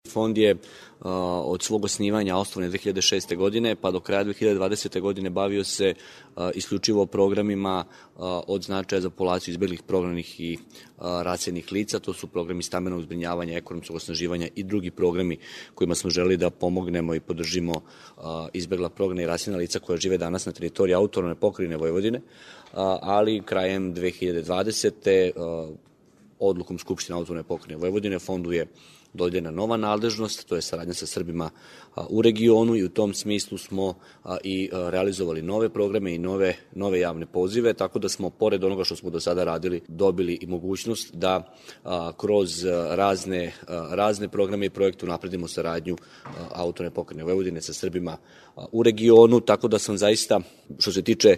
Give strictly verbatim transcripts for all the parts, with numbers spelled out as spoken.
Fond je uh, od svog osnivanja osnovan dve hiljade šeste. godine pa do kraja dve hiljade dvadesete. godine bavio se uh, isključivo programima uh, od značaja za populaciju izbeglih, prognanih i uh, raseljenih lica. To su programi stambenog zbrinjavanja, ekonomskog osnaživanja i drugi programi kojima smo želeli da pomognemo i podržimo uh, izbegla, prognana i raseljena lica koja žive danas na teritoriji autonomne pokrajine Vojvodine, uh, ali krajem dve hiljade dvadesete. Uh, odlukom Skupštine autonomne pokrajine Vojvodine fondu je dodeljena nova nadležnost, to je saradnja sa Srbima u regionu i u tom smislu smo i realizovali nove programe i nove, nove javne pozive, tako da smo, pored onoga što smo do sada radili, dobili i mogućnost da kroz razne, razne programe i projekte unapredimo saradnju autonomne pokrajine Vojvodine sa Srbima u regionu, tako da sam zaista, što se tiče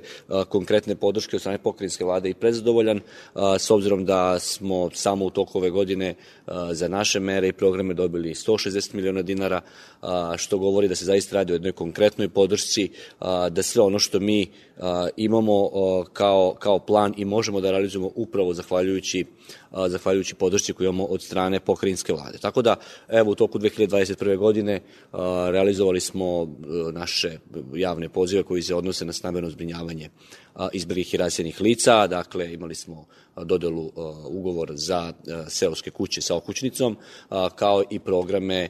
konkretne podrške od strane pokrajinske vlade, i prezadovoljan, s obzirom da smo samo u toku ove godine za naše mere i programe dobili sto šezdeset miliona dinara, što govori da se zaista radi o jednoj konkretnoj podršci, da sve ono što mi imamo kao, kao plan i možemo da realizujemo upravo zahvaljujući, zahvaljujući podršci koju imamo od strane pokrajinske vlade. Tako da, evo, u toku dve hiljade dvadeset prve. godine realizovali smo naše javne pozive koji se odnose na stambeno zbrinjavanje izbeglih i raseljenih lica. Dakle, imali smo dodelu ugovor za seoske kuće sa okućnicom, kao i programe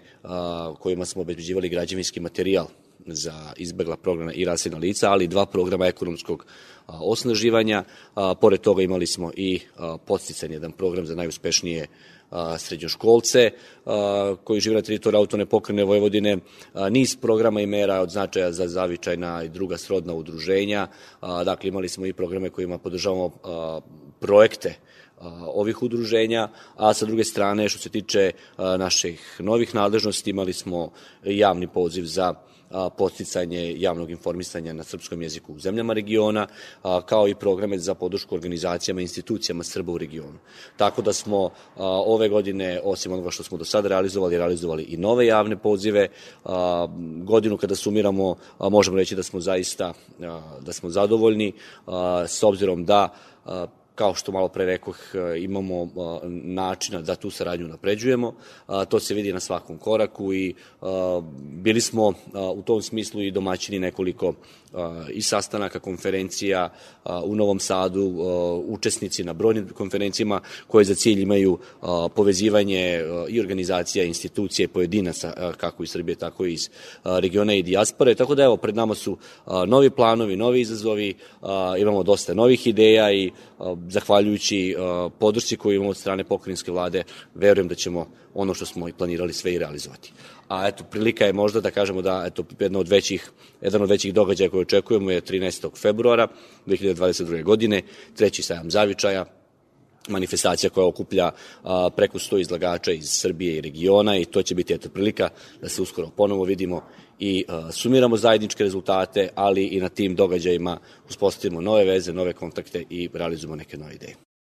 kojima smo obezbeđivali građevinski materijal za izbegla, prognana i raseljena lica, ali dva programa ekonomskog osnaživanja. Pored toga imali smo i podstican jedan program za najuspešnije srednjoškolce koji žive na teritoriji autonomne pokrajine Vojvodine, niz programa i mera od značaja za zavičajna i druga srodna udruženja. Dakle, imali smo i programe kojima podržavamo projekte ovih udruženja, a sa druge strane, što se tiče naših novih nadležnosti, imali smo javni poziv za podsticanje javnog informisanja na srpskom jeziku u zemljama regiona, kao i programe za podršku organizacijama i institucijama Srba u regionu. Tako da smo ove godine, osim onoga što smo do sada realizovali, realizovali i nove javne pozive. Godinu kada sumiramo, možemo reći da smo zaista da smo zadovoljni, s obzirom da, kao što malo pre rekoh, imamo načina da tu saradnju napređujemo. To se vidi na svakom koraku i bili smo u tom smislu i domaćini nekoliko i sastanaka, konferencija u Novom Sadu, učesnici na brojnim konferencijama koje za cilj imaju povezivanje i organizacija, institucije, pojedinaca, kako iz Srbije, tako i iz regiona i dijaspore. Tako da, evo, pred nama su novi planovi, novi izazovi, imamo dosta novih ideja i zahvaljujući podršci koju imamo od strane pokrajinske vlade, verujem da ćemo ono što smo i planirali sve i realizovati. A eto, prilika je možda da kažemo da eto, jedan od većih, jedan od većih događaja koje očekujemo je trinaestog februara dve hiljade dvadeset druge. godine, treći sajam zavičaja, manifestacija koja okuplja a, preko sto izlagača iz Srbije i regiona, i to će biti eto prilika da se uskoro ponovo vidimo i a, sumiramo zajedničke rezultate, ali i na tim događajima uspostavimo nove veze, nove kontakte i realizujemo neke nove ideje.